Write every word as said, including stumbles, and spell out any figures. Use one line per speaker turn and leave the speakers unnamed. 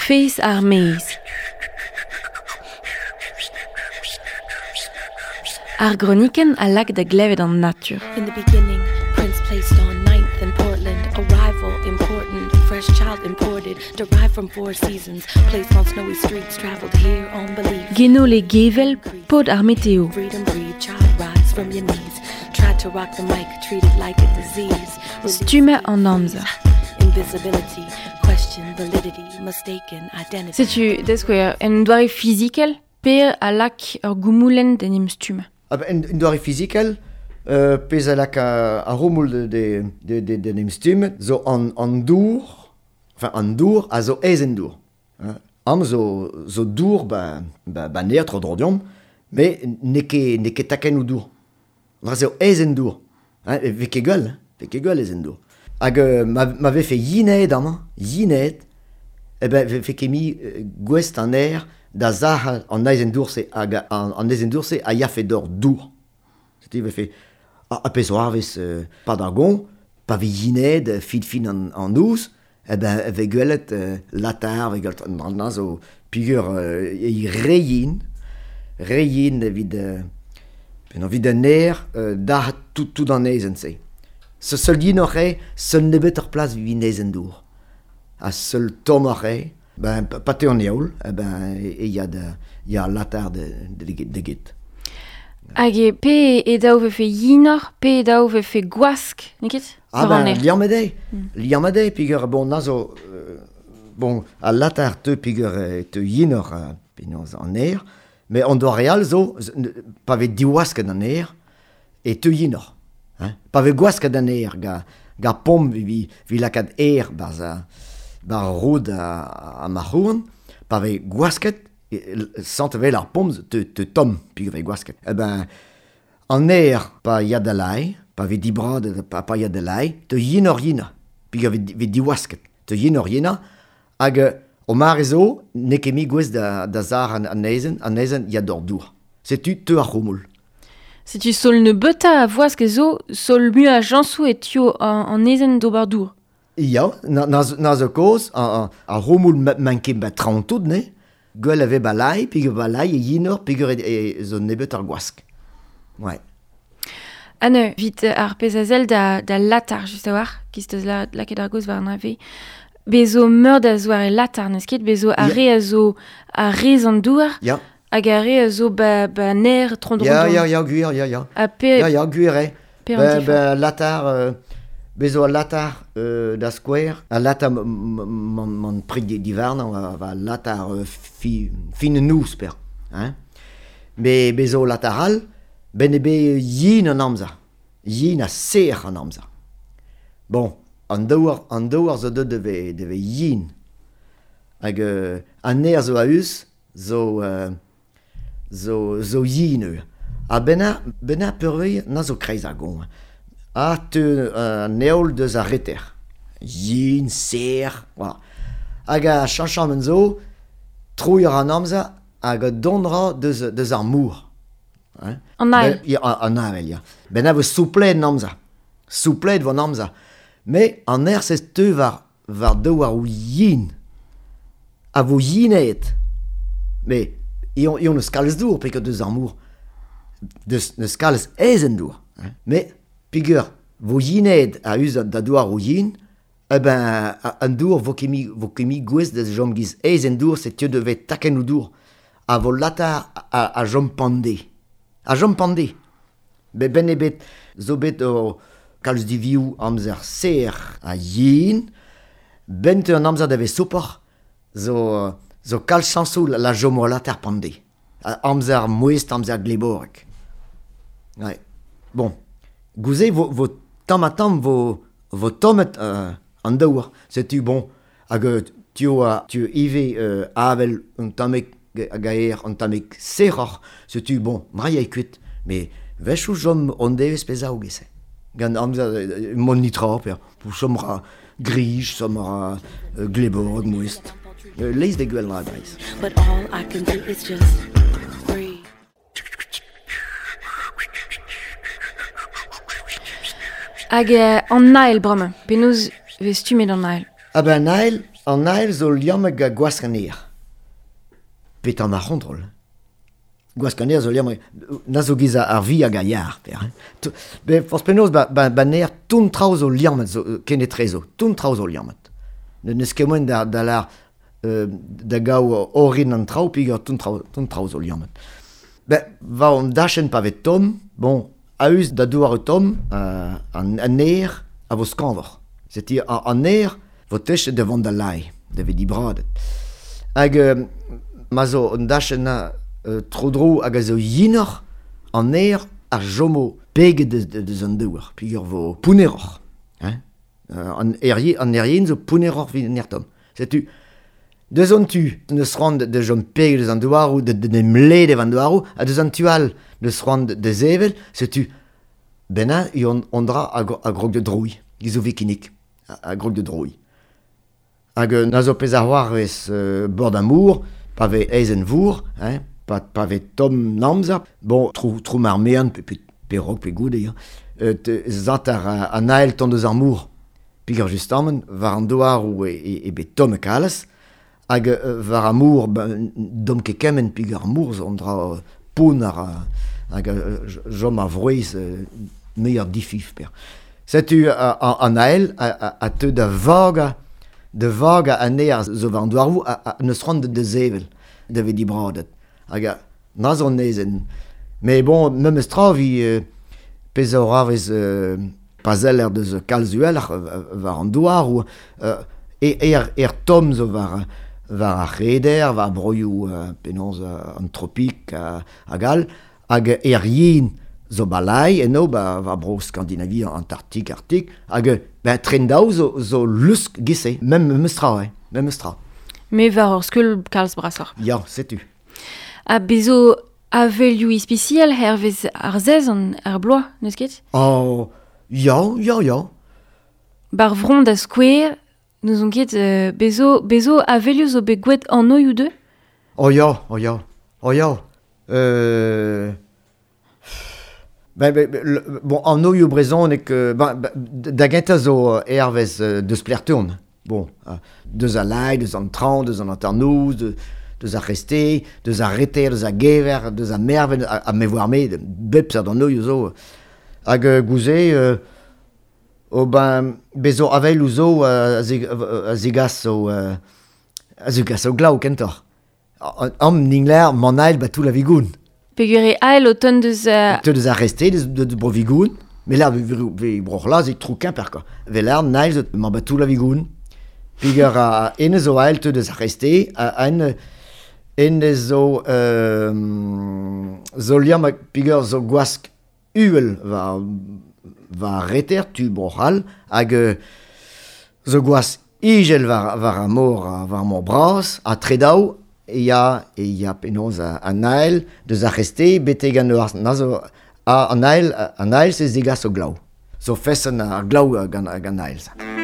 Fez ar maez. Ar groniken a lak da glevet an natur.
In the beginning, Prince placed on ninth in Portland. Arrival important, fresh child imported, derived from four seasons, placed on snowy streets, traveled here on belief.
Genole gevel pod ar meteo.
Freedom breathe, child rise from your knees. Tried to rock the mic, treated like a disease.
Stumma an amzer.
Invisibility, question validity, mistaken identity.
Setu, da skouer, en doare fizikel, per a lak ur goumoulenn d'en em stumma.
Ah ben, en, en doare fizikel, euh, pezh a lak a, a romoul de, de, de, de, de em stumm, zo an, an dour, enfin an dour a zo aes en dour. Hein. Am zo, zo dour ba, ba, ba neer tro dro deomp, me n'eo ket, n'eo ket takenn ou dour. Dra zo aes en dour. Hein, e ve ket gwell, ve ket gwell aes en dour. Hag euh, ma, ma vefe yinet amañ, yinet, eh ben vefe ket mi euh, gwest an aer da zah an aes en dour-se hag an, an aes en dour-se a yafe d'or dour. Setu vefe a, a pezh oarvez euh, pa d'ar gon, pa ve yinet, fin fin an, an ouz, eh ben ve gwelet euh, latar, ve gwelet an an zo pigur euh, e re yin, re yin evit euh, ben evit an aer euh, da tout, tout an aes en se. Se seul yin oc'h eo, seul nebet ur plas evit aes en dour. A seul tomm oc'h eo, ben, pa te an eoul, eh ben, e ya da, ya latar de, de, de, de get.
Hag e pe e daou vefe yinor, pe e daou vefe gwask, n'eo ket?
Ah
War an
ben,
aer.
liamm eo.
Mm.
Liamm eo, peogwir, bon, na zo, euh, bon, a latar teu peogwir e teu yinor, euh, penaos an aer, mais an doare all zo, z-, ne, pa vez diwasket an aer, e teu yinor. Hein? Pa vez gwasket an aer, ga, ga pomp vi, vi lakaat aer barz a, bar roud a, a marc'houarn, pa vez gwasket, e, sant vel ar pomp te, te tomm, peogwir vez gwasket. Eh ben, an aer pa ya da lai, pa vez dibrad, pa, pa ya da lai, te yinor yina, peogwir vez, vez diwasket. Te yinor yina, hag o mare zo, n'eo ket mi gwez da, da zar an, an aezenn, an aezenn ya d'or dour. Setu teu ar c'houmoul.
Setu sol nebeuta a voask zo, sol mu a jansou e tio an, an ezen d'ober dour.
Ya, na, na, na zo koz, a, a, a c'houmoul ma, manket ba traoñ tout, ne? Gwell a ve ba lai, peogwir ba lai e yinor, peogwir e, e zo nebeut ar gwask. Ouais.
Anne, vit ar pezh a sell da, da latar, just a-walc'h, kiz teus la, lakaet ar goz war an ave. Bezo meur da zoare latar, n'eus ket? Bezo ar
Ya.
re a zo a rez an douar,
Ya.
hag ar re a zo ba, ba ner tron dro
Ya,
dro.
ya, ya, gwir, ya, ya.
Ha pe,
Ya, ya, gwir eo.
pe an
Ben,
diforc'h.
ben, latar, euh, bezo al latar euh, da skouer, al latar m- m- man, man prik di, divarn, va, va latar euh, fi, fin nous per. Hein? Me bezo latar all, ben e be yin an amzer. Yin a ser an amzer. Bon, an daouar, an daouar zo deut deve, deve yin. Hag euh, an aer zo a-us, zo, euh, zo, zo yin eo. Ha benna, benna peurvei na zo kreiz ar gon. A teu an eol deus ar reter. Yin, ser, voilà. Hag a chañchañ zo, trouilh an amzer hag a dont ra deus, deus ar mour. Hein?
An ael.
Ben, ya, an avel, ya. Ben a vo souplet an amzer. Souplet vo an amzer. Me an aer sez teu war, war daou ar yin. A vo yinet. Me, ion, ion eus kalz dour, peogwir deus ar mour. Deus, neus kalz aezhenn dour. Hein? Me, peogwir vo yinet a us da douar o yin, eh ben, a, an dour vo ket mi, vo ket mi gwez da jom giz aezhenn dour, se teu deve takenn o dour. A vo latar a, a jom pande. A jom pande. Be ben e bet, zo bet o kalz divioù amzer ser a yin, ben teu an amzer da vez sopor, zo, zo kalz chañsoù la, la jom o latar pande. A, amzer mouest, amzer gleborek. Ouais. Bon. Gouze vo, vo tamm ha tamm vo, vo tommet euh, an daouar. Setu bon, hag euh, tio a, tio ivez euh, avel un tammig hag aer, un tammig serroc'h. Setu bon, mraia e kuit. Me wechoù jom on devez pezh a ogese. Gant amzer euh, mon nitra, per, pou chom ra grij, chom ra euh, gleborek mouest. Euh, leiz de gwell ra breiz.
But all I can do is just breathe.
Hag euh, an ael bremañ, penaos vez stummet an ael.
Ah ben an ael, an ael zo liammet ga gwask an aer. Petan ar c'hontrol. Gwask an aer zo liammet, na zo giz ar vi hag a yar, per. Hein. Be, forz penaos, ba, ba, ba n'aer ton traoù zo liammet, zo, kenetrezo, ton traoù zo liammet. Ne n'eus ket moen da, da lar, euh, da gaou orin an traoù, peogwir ton traoù, ton traoù zo liammet. Ben, va an dachenn pa vez tomm, bon, a-us da douar tomm, euh, an, an aer a vo skañvoc'h. Setu an aer vo techet da vont da lai, da vez dibradet. Hag euh, ma zo an dachenn euh, tro-dro hag a zo yinoc'h, an aer ar jomo peget deus, deus an douar, peogwir vo pouneroc'h. Hein? Euh, an aer an aer yen zo pouneroc'h evit an aer tomm. Setu, deus an tu, neus c'hoant da chom peget deus an douaroù, da d'em led an douaroù, ha deus an tu all, neus c'hoant da sevel, setu, benna, on, on dra a, a grog de drouilh, giz zo vikinik, a, a grog de drouilh. Hag na zo pezh ar c'hoarvez euh, bord amour, pa vez aezhenn vour, hein, pa, pa vez tomm namzer, bon, trou, trou mar mean, pe, pe, pe rok, pe goude, hein, euh, te, zat ar an ael ton deus ar mour. Peogwir justamant, war an douaroù e, e, e bet tomm e kalez, hag euh, war ar mour, ben, dom ket kement peogwir ar mour zo an dra poun ar, hag euh, jom ar vrouez euh, meilleur difif, per. Setu an ael a, a, a teu da vaga, de vaga an aer zo war an douaroù a, a neus c'hoant da sevel, da vez dibradet. Hag a, na zo an aezhenn. Mais bon, memes tra vi euh, pezh a c'hoarvez euh, pa zeller deus kalz uheloc'h war an douaroù, euh, e er, er tomm zo war, war ar c'hreder, war broioù euh, penaos euh, an tropik uh, hag all, hag er yen zo balai, eno, ba, war bro Skandinavie, Antarktik, Arktik, hag ben, tren daou zo, zo lusk gise, mem memes tra, hein, memes tra.
Me war ur skeul kalz brasoc'h.
Ya, setu.
Ha bezo avelioù ispisial hervez ar sezon ar bloaz, n'eus ket?
Oh, ya, ya, ya.
Bar vron da skouer, n'ouzon ket, euh, bezo, bezo avelioù zo bet gwet an oioù deux?
Oh ya, oh ya, oh ya. Euh... Ben, ben, le, bon, an oioù brezhoneg, ben, ben, da gentañ zo hervez deus plertourn. Bon, deus a lai, deus an traoñ, deus an hanternoz, de, deus ar reste, deus ar reter, deus ar gever, deus ar merven, a, a me voar me, bep seurt an oioù zo. Hag euh, gouze, euh, oh ben, bezo avel zo a, a zegas zo, euh, a zegas zo glav kentoc'h. Am ningler, man ael ba tout la vigoun.
Peogwir e ael o ton deus... Euh...
Te deus ar reste, deus, deus bro vigoun. Mais là, ve bro c'hlaz e trou kemper, quoi. Ve l'ar nael zo man ba tout la vigoun. Peogwir a ene zo ael te deus ar reste, a en ene zo euh, zo liamm peogwir zo gwask uhel war, war reter, tu bro c'hall, hag euh, zo gwask igel war, war ar mor, war ar mor bras, ha tredaou, e ya, e ya penaos an ael deus ar reste, betek an eur, na zo, a, an ael, an ael se zegas o glav. Zo feson ar glav gant, gant ael.